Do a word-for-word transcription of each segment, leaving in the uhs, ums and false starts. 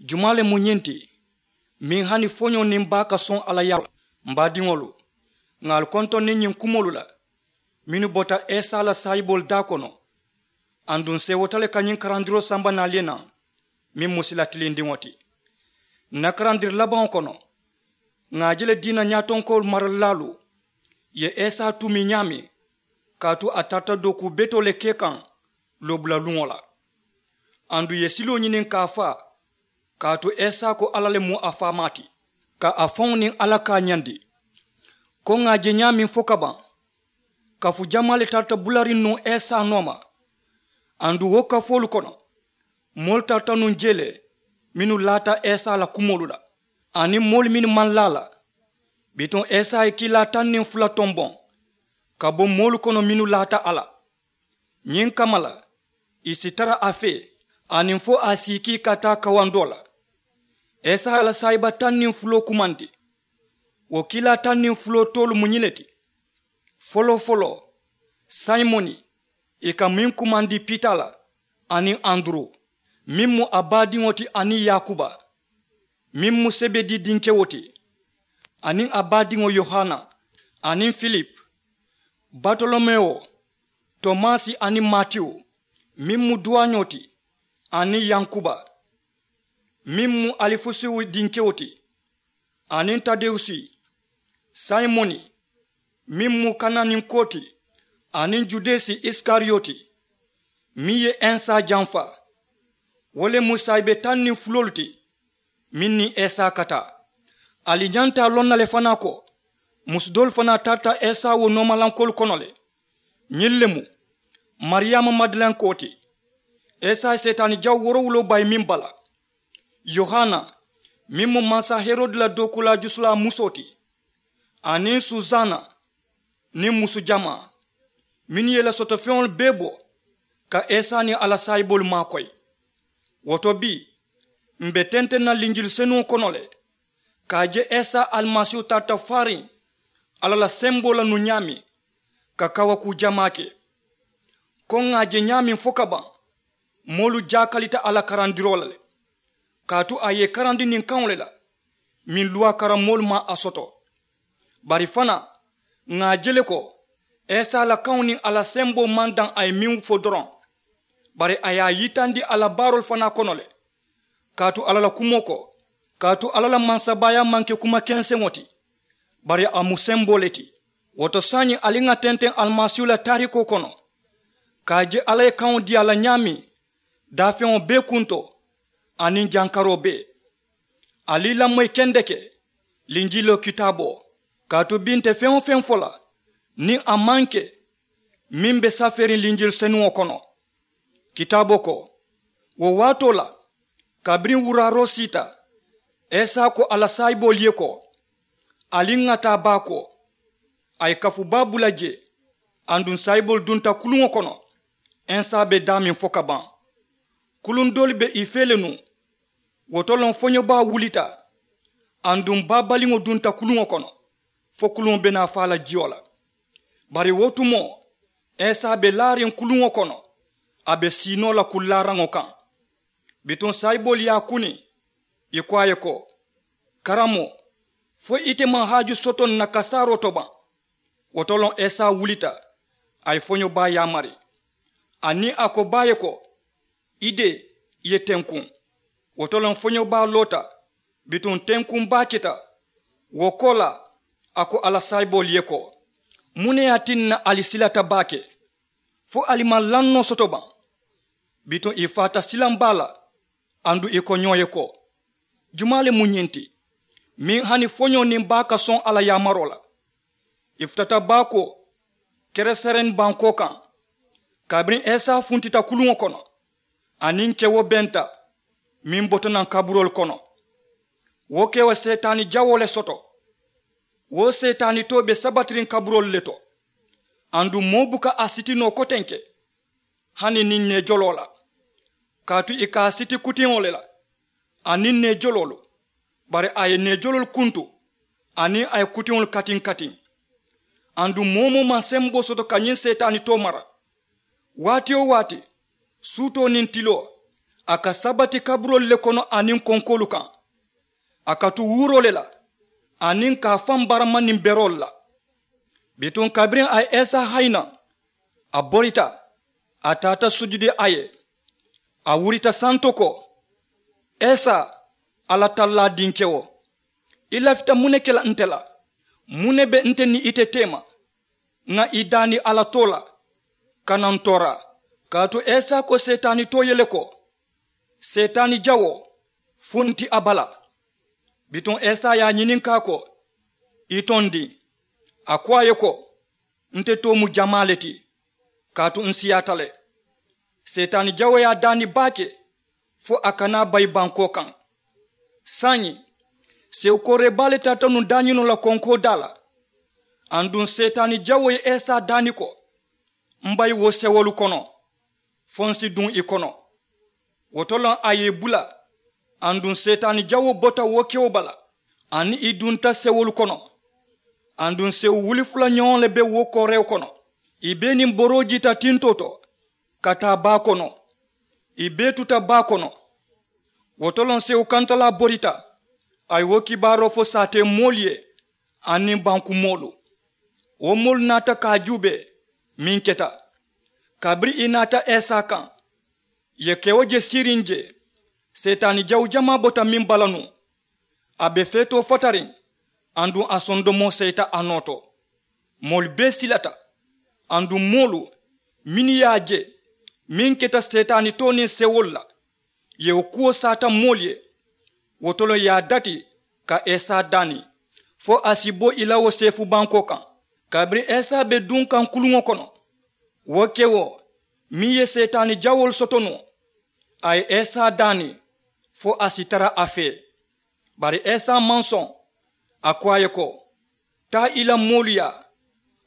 Jumaa le mu ñiŋ ti meŋ hani foñoo niŋ baa ka soŋ a la yaamaa la? M baadiŋolu, ŋà ali kontoŋ niŋ ñiŋ kumoolu la mennu bota esa la saayiboolu daa kono. Aduŋ seewota le ka ñiŋ karandiroo samba naali ye naŋ meŋ mu sila tilindiŋo ti. N na karandiri labaŋo kono, ŋà a je le diina ñaatonkoolu maralilaalu ye esa tuumi ñaameŋ, kaatu a tarata dookuu betoo le ke kaŋ loobula luŋo la. Aduŋ ì ye siloo ñiniŋ ka a faa, kaatu esa ko alla le mu a faamaa ti, ka a faŋo niŋ alla kaañandi. Ko ŋà a je ñaameŋ fo ka baŋ, kafu jamaa le tarata bulariŋ nuŋ esa nooma. Aduŋ wo kafoolu kono, moolu tarata nuŋ jee le mennu laata esa la kumoolu la, aniŋ moolu mennu maŋ laa a la. Bituŋ esa ye kiilaa taŋ niŋ fula tomboŋ ka bo moolu kono mennu laata a la. Ñiŋ kamma la, ì si tara a fee aniŋ fo a si ì kii ka taa kawandoo la. Esa ye a la saayiba taŋ niŋ fuloo kumandi. Wo kiilaa taŋ niŋ fuloo toolu mu ñiŋ ne ti: foloo-foloo, sayimoni, ì ka meŋ kumandi pita la, aniŋ anduru, meŋ mu a baadiŋo ti, aniŋ yaakuba, meŋ mu sebedi dinkewo ti, aniŋ a baadiŋo yohana, aniŋ filipu, batolomewo, tomasi, aniŋ matiyu, meŋ mu duwaañoo ti, aniŋ yankuba, meŋ mu alifusiwu dinkewo ti, aniŋ tadewusi, sayimoni, meŋ mu kananinkoo ti, aniŋ judesi isikariyoti, meŋ ye ensa janfa. Wo le mu saayibe taŋ niŋ fuloolu ti meŋ niŋ esa ka taa. Ali ñanta a loŋ na le fanaa ko musu doolu fanaa tarata esa wo noomalankoolu kono le. Ñiŋ le mu mariyaama madalenkoo ti, esa ye seetaani jawo woorowuloo bayi meŋ bala, yohana, meŋ mu mansa herodi la dookuulaa jusulaa musoo ti, aniŋ susaana, niŋ musu jamaa, mennu ye i la sotofeŋolu bee bo ka esa niŋ a la saayiboolu maakoyi. Wo to bii, m̀ be tenteŋ na linjili senuŋo kono le ka a je esa alimasiihu tarata faariŋ alla la semboo la nuŋ ñaameŋ, ka kawakuu jamaa ke. Ko ŋà a je ñaameŋ fo ka baŋ, moolu jaakalita a la karandiroo la le, kaatu a ye ì karandi niŋ kaŋo le la meŋ luwaa karammoolu maŋ a soto. Bari fanaa, ŋà a je le ko esa la kaŋo niŋ a la semboo maŋ daŋ a ye meŋ fo doroŋ, bari a ye a yitandi a la baaroolu fanaa kono le. Kaatu alla la kumoo ko, kaatu alla la mansabaayaa maŋ ke kuma kenseŋo ti, bari a mu semboo le ti. Wo to saayiŋ ali ŋà tenteŋ alimasiihu la taarikoo kono ka a je alla ye kaŋo dii a la ñaameŋ, daafeŋo bee kunto aniŋ jankaroo bee. Ali i lamoyi kendeke linjiloo kitaaboo, kaatu bii nte feŋ-wo-feŋ fo la niŋ a maŋ ke meŋ be safeeriŋ linjili senuŋo kono. Kitaaboo ko, wo waatoo la, kabiriŋ wuraaroo siita, esa ko a la saayiboolu ye ko, ali ŋà taa baakoo. A ye kafu baa bula jee. Aduŋ saayiboolu dunta kuluŋo kono. Esa be daameŋ fo ka baŋ, kuluŋ doolu be ì fee le nuŋ. Wo to loŋ foñobaa wulita, aduŋ baa baliŋo dunta kuluŋo kono fo kuluŋo be naa faa la jiyo la. Bari wo tumoo, esa be laariŋ kuluŋo kono, a be sii noo la kullaaraŋo kaŋ. Bituŋ saayiboolu ye a kuni, ì ko a ye ko, karamoo, fo ite maŋ haaju soto n na kasaaroo to baŋ? Wo to loŋ esa wulita, a ye foñobaa yaamari. Aniŋ a ko baa ye ko, i dee, i ye tenkuŋ. Wo to loŋ foñobaa loota, bituŋ tenkuŋ baa keta. Wo koolaa, a ko a la saayiboolu ye ko, muŋ ne ye a tinna ali silata baake fo ali maŋ lannoo soto baŋ? Bituŋ ì faata silaŋ baa la. Aduŋ ì ko ñoo ye ko, jumaa le mu ñiŋ ti meŋ hani foñoo niŋ baa ka soŋ a la yaamaroo la? Ì futata baakoo keresereeni bankoo kaŋ. Kabiriŋ esa funtita kuluŋo kono, aniŋ kewo benta meŋ bota naŋ kaburoolu kono, wo kewo seetaani jawoo le soto. Wo seetaanitoo be sabatiriŋ kaburoolu le to. Aduŋ moo buka a siti noo kotenke, hani niŋ neejoloo la, kaatu ì ka a siti kutiŋo le la aniŋ neejoloolu. Bari a ye neejoloolu kuntu aniŋ a ye kutiŋolu katiŋ-katiŋ. Aduŋ moo-wo-moo maŋ semboo soto ka ñiŋ seetaanitoo mara. Waati-wo-waati, suutoo niŋ tiloo, A ka sabati kaburoolu le kono aniŋ konkoolu kaŋ. A ka tu wuuroo le la aniŋ ka a faŋ barama niŋ beroolu la. Bituŋ kabiriŋ a ye esa hayi naŋ, a borita, a taata sujudi a ye. A wurita santo ko, esa, alla tallaa dinkewo, i lafita muŋ ne ke la nte la? Muŋ ne be nte niŋ ite teema? Ŋa i daani alla too la, kana n toora. Kaatu esa ko seetaani too ye le ko, seetaani jawoo funti a bala. Bituŋ esa ye a ñininkaa ko, i tondi? A ko a ye ko, nte too mu jamaa le ti, kaatu n siyaata le. Seetaani jawoo ye a daani baake, fo a kana a bayi bankoo kaŋ. Saayiŋ, sewu kooree baa le taata nuŋ daañinoo la konkoo daa la. Aduŋ seetaani jawoo ye esa daani ko, m bayi wo sewolu kono, fo n si duŋ i kono. Wo to loŋ a ye i bula. Aduŋ seetaani jawoo bota wo kewo bala, aniŋ i dunta sewolu kono. Aduŋ sewu wuli fula ñoŋo le be wo koorewo kono. I bee niŋ boroo jiita tintoo to, ka taa baa kono. I bee tuta baa kono. Wo to loŋ sewu kantalaa borita, a ye wo kibaaroo fo saatee moolu ye, aniŋ banku moolu. Wo moolu naata ka a juubee meŋ keta. Kabiriŋ i naata esa kaŋ, ì ye kewo je siiriŋ jee, seetaani jawu jamaa bota meŋ bala nuŋ. A be feetoo fatariŋ, aduŋ a sondomoo seyita a noo to. Moolu bee silata. Aduŋ moolu mennu ye a je meŋ keta seetaani too niŋ sewolu la, ì ye wo kuwo saata moolu ye. Wo to le ì ye a dati ka esa daani, fo a si bo ì la wo seefu bankoo kaŋ. Kabiriŋ esa be duŋ kaŋ kuluŋo kono, wo kewo meŋ ye seetaani jawoolu soto nuŋ, a ye esa daani fo a si tara a fee. Bari esa maŋ soŋ. A ko a ye ko, taa i la moolu yaa,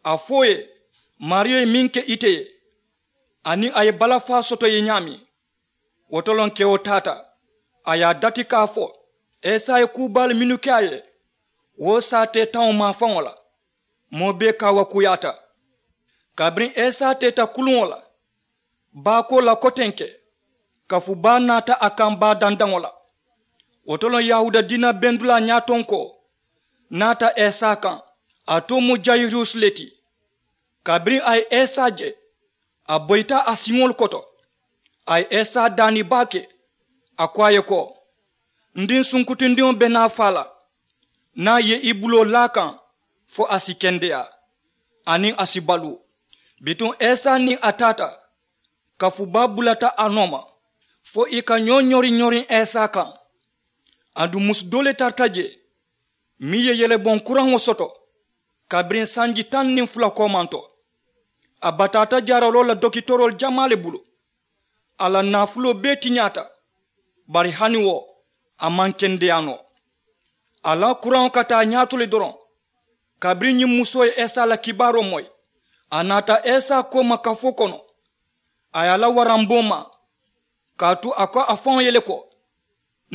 a fo ì ye maariyo ye meŋ ke ite ye, aniŋ a ye balafaa soto ì ye ñaameŋ. Wo to loŋ kewo taata, a ye a dati ka a fo. Esa ye kuu baalu mennu ke a ye, wo saatee taŋo maafaŋo la, moo bee kaawakuuyaata. Kabiriŋ esa teeta kuluŋo la, baakoo la kotenke, kafu baa naata a kaŋ baa dandaŋo la. Wo to loŋ yahuuda diina bendulaa ñaatonkoo naata esa kaŋ. A too mu jayirus le ti. Kabiriŋ a ye esa je, a boyita a siŋolu koto. A ye esa daani baake. A ko a ye ko, n diŋ sunkutundiŋo be naa faa la. Niŋ a ye i buloo laa a kaŋ, fo a si kendeyaa, aniŋ a si baluu. Bituŋ esa niŋ a taata, kafu baa bulata a nooma, fo ì ka ñoo ñoriŋ ñoriŋ esa kaŋ. Aduŋ musu doo le tarata jee, meŋ ye yeleboŋ kuraŋo soto kabiriŋ sanji taŋ niŋ fula koomanto. A bataata jaaraloo la dokitoroolu jamaa le bulu. A la naafuloo bee tiñaata, bari hani wo, a maŋ kendeyaa noo. A la kuraŋo kata a ñaato le doroŋ. Kabiriŋ ñiŋ musoo ye esa la kibaaroo moyi, a naata esa kooma kafoo kono. A ye a la waramboo maa, kaatu a ko a faŋo ye le ko,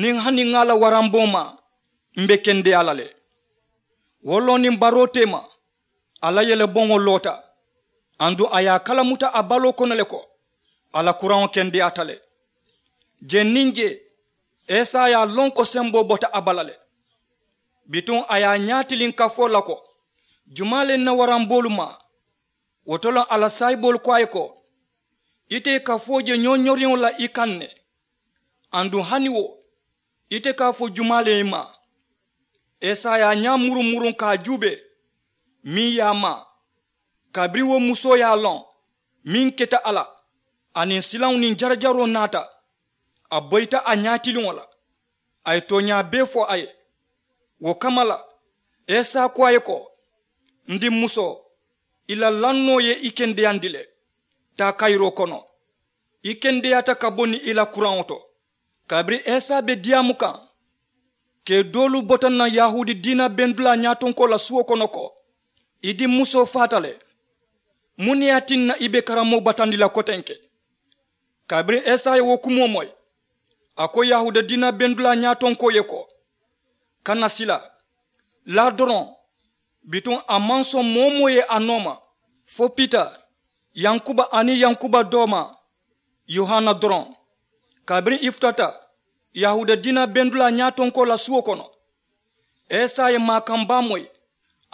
niŋ hani ŋa a la waramboo maa, m be kendeyaa la le. Wo looniŋ baroo teema, a la yeleboŋo loota. Aduŋ a ye a kalamuta a baloo kono le ko, a la kuraŋo kendeyaata le. Jee niŋ jee, esa ye a loŋ ko semboo bota a bala le. Bituŋ a ye a ñaatiliŋ kafoo la ko, jumaa le n na waramboolu maa? Wo to loŋ a la saayiboolu ko a ye ko, ite ye kafoo je ñoo ñoriŋo la i kaŋ ne. Aduŋ hani wo, ite ka a fo jumaa le ye maa? Esa ye a ñaa muruŋ muruŋ ka a juubee, meŋ ye a maa. Kabiriŋ wo musoo ye a loŋ meŋ keta a la, aniŋ silaŋo niŋ jarajaroo naata, a boyita a ñaatiliŋo la. A ye tooñaa bee fo a ye. Wo kamma la, esa ko a ye ko, n dimmusoo, i la lannoo ye i kendeyandi le. Taa kayiroo kono, i kendeyaata ka bo niŋ i la kuraŋo to. Kabiriŋ esa be diyaamu kaŋ, kee doolu bota naŋ yahuudi diina bendulaa ñaatonkoo la suwo kono ko, i dimmusoo faata le. Muŋ ne ye a tinna i be karammoo batandi la kotenke? Kabiriŋ esa ye wo kumoo moyi, a ko yahuuda diina bendulaa ñaatonkoo ye ko, kana sila, laa doroŋ. Bituŋ a maŋ soŋ moo-wo-moo ye a nooma, fo pita, yankuba aniŋ yankuba doomaa, yohana doroŋ. Kabiriŋ i futata yahuuda diina bendulaa ñaatonkoo la suwo kono, isa ye maakaŋ baa moyi.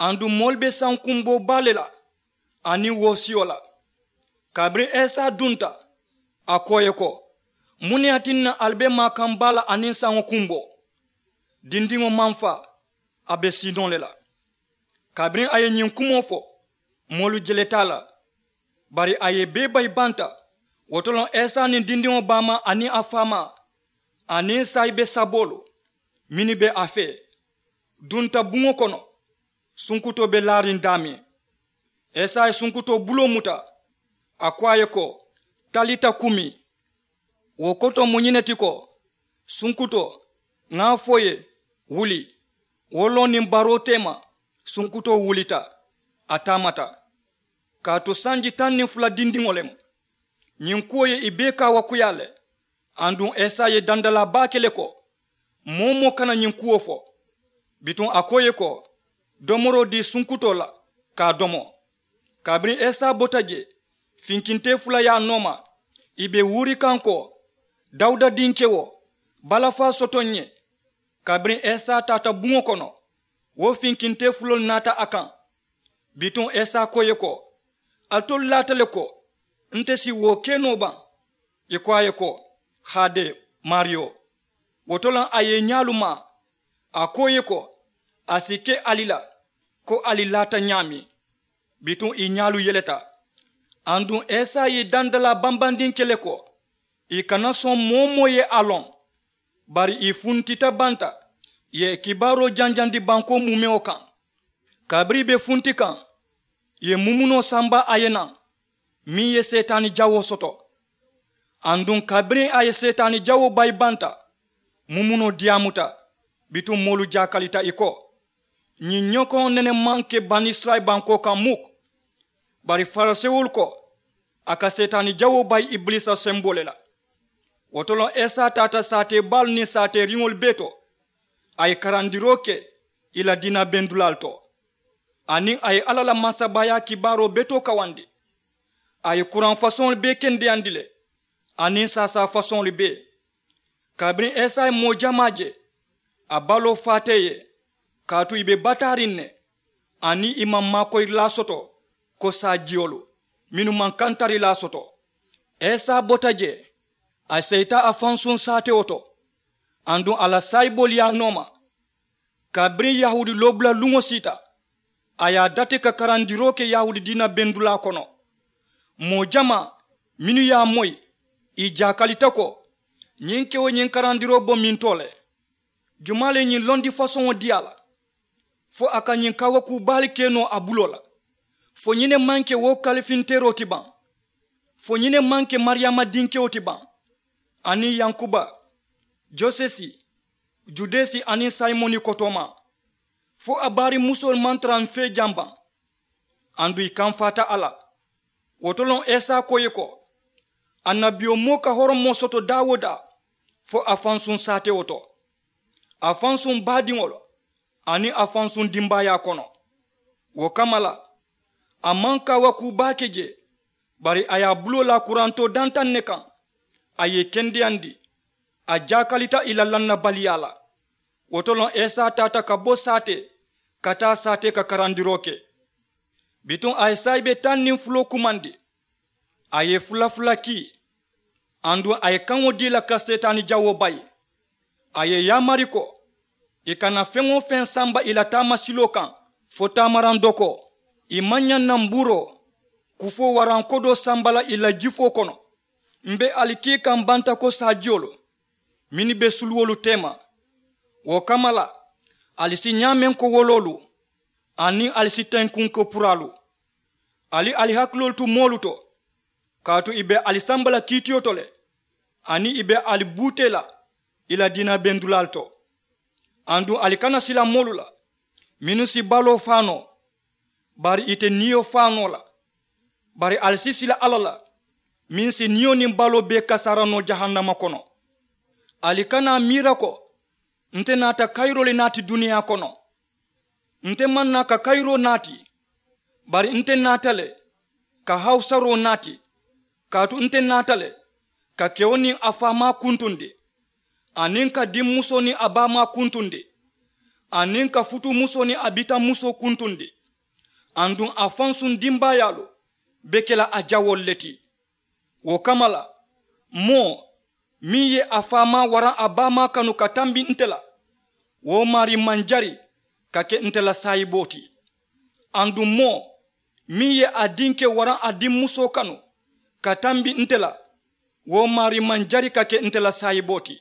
Aduŋ moolu be sankumboo baa le la aniŋ woosiyo la. Kabiriŋ isa dunta, a ko ì ye ko, muŋ ne ye a tinna ali be maakaŋ baa la aniŋ saŋo kumboo? Dindiŋo maŋ faa, a be siinoo le la. Kabiriŋ a ye ñiŋ kumoo fo, moolu jeleta a la. Bari a ye bee bayi banta. Wo to loŋ isa niŋ dindiŋo baamaa aniŋ a faamaa aniŋ saayibe saboolu mennu be a fee dunta buŋo kono. Sunkutoo be laariŋ daameŋ. Isa ye sunkutoo buloo muta, a ko a ye ko, talita kumi. Wo koto mu ñiŋ ne ti ko, sunkutoo, ŋa a fo i ye, wuli. Wo loŋ niŋ baroo teema, sunkutoo wulita, a taamata. Kaatu sanji taŋ niŋ fula dindiŋo le mu. Ñiŋ kuwo ye i bee kaawakuyaa le. Aduŋ isa ye dandalaa baa ke le ko, moo-wo-moo kana ñiŋ kuwo fo. Bituŋ a ko ì ye ko, domoroo dii sunkutoo la, ka a domo. Kabiriŋ isa bota jee, finkintee fula ye a nooma, ì be wuuri kaŋ ko, dawuda dinkewo, balafaa soto n ye. Kabiriŋ isa taata buŋo kono, wo finkintee fuloolu naata a kaŋ. Bituŋ isa ko ì ye ko, alitolu laata le ko, nte si wo ke noo baŋ? Ì ko a ye ko, haade, maariyo. Wo to loŋ a ye i ñaalu maa, a ko ì ye ko, a si ke ali la ko ali laata ñaameŋ. Bituŋ ì ñaalu yeleta. Aduŋ isa ye i dandalaa bambandi n ke le ko, ì kana soŋ moo-wo-moo ye a loŋ. Bari ì funtita banta, ì ye kibaaroo janjandi bankoo muumewo kaŋ. Kabiriŋ ì be funti kaŋ, ì ye mumunoo samba a ye naŋ, meŋ ye seetaani jawoo soto. Aduŋ kabiriŋ a ye seetaani jawoo bayi banta, mumunoo diyaamuta. Bituŋ moolu jaakalita ì ko, ñiŋ ñokoŋo nene maŋ ke banisirayila bankoo kaŋ muk. Bari farisewolu ko, a ka seetaani jawoo bayi ibiliisa semboo le la. Wo to loŋ isa taata saatee baalu niŋ saateeriŋolu bee to, a ye karandiroo ke ì la diina bendulaalu to, aniŋ a ye alla la mansabaayaa kibaaroo betoo kawandi. A ye kuraŋ fasoŋolu bee kendeyandi le, aniŋ saasaa fasoŋolu bee. Kabiriŋ isa ye moo jamaa je, a baloo faata ì ye, kaatu ì be bataariŋ ne, aniŋ ì maŋ maakoyirilaa soto ko saajiyolu mennu maŋ kantarilaa soto. Isa bota jee, a seyita a fansuŋ saatewo to, aduŋ a la saayiboolu ye a nooma. Kabiriŋ yahuudi loobula luŋo siita, a ye a dati ka karandiroo ke yahuudi diina bendulaa kono. Moo jamaa mennu ye a moyi, ì jaakalita ko, ñiŋ kewo ñiŋ karandiroo bo mintoo le? Jumaa le ye ñiŋ londi fasoŋo dii a la, fo a ka ñiŋ kaawakuu baalu ke noo a buloo la? Fo ñiŋ ne maŋ ke wo kalifinteeroo ti baŋ? Fo ñiŋ ne maŋ ke mariyaama dinkewo ti baŋ, aniŋ yankuba, josesi, judesi aniŋ sayimoni kotoomaa? Fo a baarimusoolu maŋ tara m fee jaŋ baŋ? Aduŋ ì kamfaata a la. Wo to loŋ isa ko ì ye ko, annabiyomoo ka horomoo soto daa wo daa, fo a fansuŋ saatewo to, a fansuŋ baadiŋolu aniŋ a fansuŋ dimbaayaa kono. Wo kamma la, a maŋ kaawakuu baa ke jee, bari a ye a buloo laa kurantoo dantaŋ ne kaŋ, a ye ì kendeyandi. A jaakalita ì la lannabaliyaa la. Wo to loŋ isa taata ka bo saatee ka taa saatee ka karandiroo ke. Bituŋ a ye saayibe taŋ niŋ fuloo kumandi, a ye fula fula kii, aduŋ a ye kaŋo dii ì la ka seetaani jawoo bayi. A ye ì yaamari ko, ì kana feŋ-wo-feŋ samba ì la taamasiloo kaŋ, fo taamaraŋ dokoo. Ì maŋ ñaŋ na mbuuroo kufoo waraŋ kodoo samba la ì la jifoo kono. M be ali kii kaŋ banta ko saajiyolu mennu be suluwolu teema. Wo kamma la, ali si ñaameŋ ko woloolu, aniŋ ali si tenkuŋ ko puraalu. Ali ali hakiloolu tu moolu to, kaatu ì be ali samba la kiitiyo to le, aniŋ ì be ali buutee la ì la diina bendulaalu to. Aduŋ ali kana sila moolu la mennu si baloo faa noo, bari ì te niyo faa noo la. Bari ali si sila alla la, meŋ si niyo niŋ baloo bee kasaara noo jahannama kono. Ali kana a miira ko, nte naata kayiroo le naati duniyaa kono. Nte maŋ naa ka kayiroo naati, bari nte naata le ka hawusaroo naati. Kaatu nte naata le ka kewo niŋ a faamaa kuntundi, aniŋ ka dimmusoo niŋ a baamaa kuntundi, aniŋ ka futuumusoo niŋ a bitaŋmusoo kuntundi. Aduŋ a fansuŋ dimbaayaalu be ke la a jawoolu le ti. Wo kamma la, moo meŋ ye a faamaa waraŋ a baamaa kanu ka tambi nte la, wo maarii maŋ jari ka ke nte la saayiboo ti. Aduŋ moo meŋ ye a dinke waraŋ a dimmusoo kanu ka tambi nte la, wo maarii maŋ jari ka ke nte la saayiboo ti.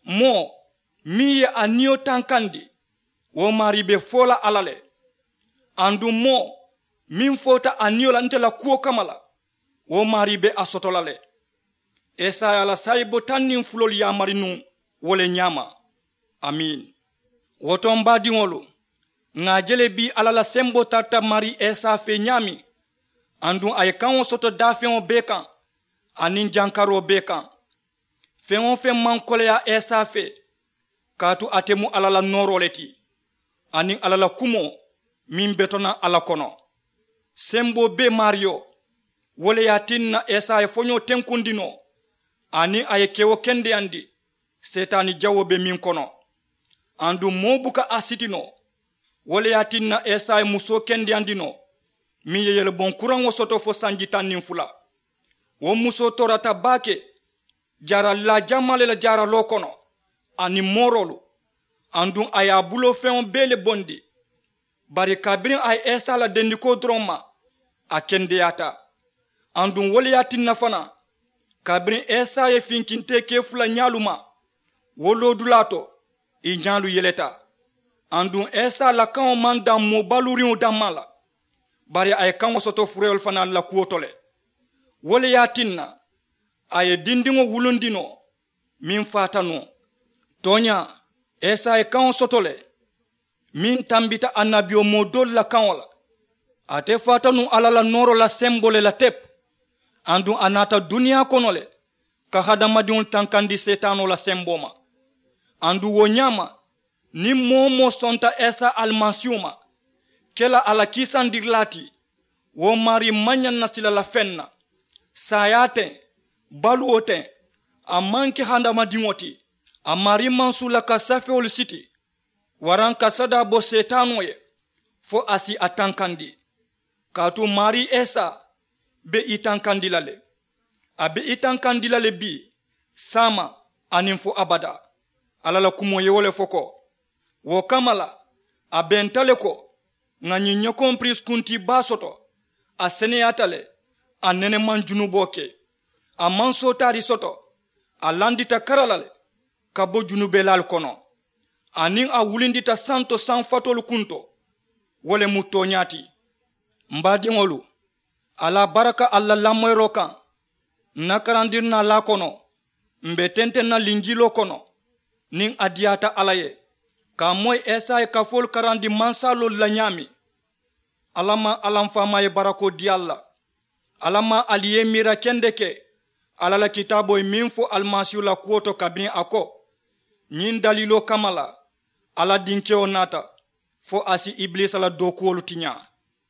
Moo meŋ ye a niyo tankandi, wo maarii be fo la alla le. Aduŋ moo meŋ foota a niyo la nte la kuwo kamma la, wo maarii be a soto la le. Esaya la saayibo taŋ niŋ fuloolu yaamari nuŋ wo le ñaama. Amiin. Wo to m baadiŋolu, ŋà a je le bii alla la semboo tarata maarii esa fee ñaameŋ. Aduŋ a ye kaŋo soto daafeŋo bee kaŋ, aniŋ jankaroo bee kaŋ. Feŋ-wo-feŋ maŋ koleyaa esa fee, kaatu ate mu alla la nooroo le ti, aniŋ alla la kumoo meŋ be to naŋ a la kono. Semboo bee maariyo, wo le ye a tinna esa ye foñoo tenkundi noo, aniŋ a ye kewo kendeyandi seetaani jawoo be meŋ kono. Aduŋ moo buka a siti noo. Wo le ye a tinna esa ye musoo kendeyandi noo, meŋ ye yeleboŋ kuraŋo soto fo sanji taŋ niŋ fula. Wo musoo toorata baake jaaralilaa jamaa le la jaaraloo kono, aniŋ mooroolu. Aduŋ a ye a buloo feŋo bee le bondi. Bari kabiriŋ a ye esa la dendikoo doroŋ ma, a kendeyaata. Aduŋ wo le ye a tinna fanaa, kabiriŋ esa ye finkintee kee fula ñaalu ma, wo loodulaa to ì ñaalu yeleta. Aduŋ esa la kaŋo maŋ daŋ moo baluuriŋo dammaa la, bari a ye kaŋo soto fureelu fanaalu la kuwo to le. Wo le ye a tinna a ye dindiŋo wulundi noo meŋ faata noo. Tooñaa, esa ye kaŋo soto le meŋ tambita annabiyomoo doolu la kaŋo la. Ate faata nuŋ alla la nooroo la semboo le la tepu. Aduŋ a naata duniyaa kono le ka hadamadiŋolu tankandi seetaanoo la semboo ma. Aduŋ wo ñaama, niŋ moo-wo-moo sonta esa alimasiihu ma ke la a la kiisandirilaa ti, wo maarii maŋ ñaŋ na sila la feŋ na. Saayaa teŋ, baluwo teŋ, a maŋ ke hadamadiŋo ti. A maarii maŋ suula ka safewolu siti waraŋ ka sadaa bo seetaanoo ye fo a si a tankandi. Kaatu maarii esa be i tankandi la le. A be i tankandi la le bii, saama, aniŋ fo abadaa. Alla la kumoo ye wo le fo ko, wo kamma la, a benta le ko ŋà ñiŋ ñokoŋ piriisi kuntii baa soto. A seneyaata le, a nene maŋ junuboo ke. A maŋ sootaari soto, a landita kara la le ka bo junubelaalu kono, aniŋ a wulindita santo saŋ fatoolu kunto. Wo le mu tooñaa ti. M baadiŋolu, alla baraka alla la lamoyiroo kaŋ. N na karandirinaa laa kono, m be tenteŋ na linjiiloo kono niŋ a diyaata alla ye ka a moyi esa ye kafoolu karandi mansaaloolu la ñaameŋ. Alla maŋ alla m faamaa ye barakoo dii ali la. Alla maŋ ali ye miira kendeke alla la kitaaboo ye meŋ fo alimasiihu la kuwo to kabiriŋ a ko, ñiŋ daliiloo kamma la alla dinkewo naata fo a si ibiliisa la dookuwolu tiñaa.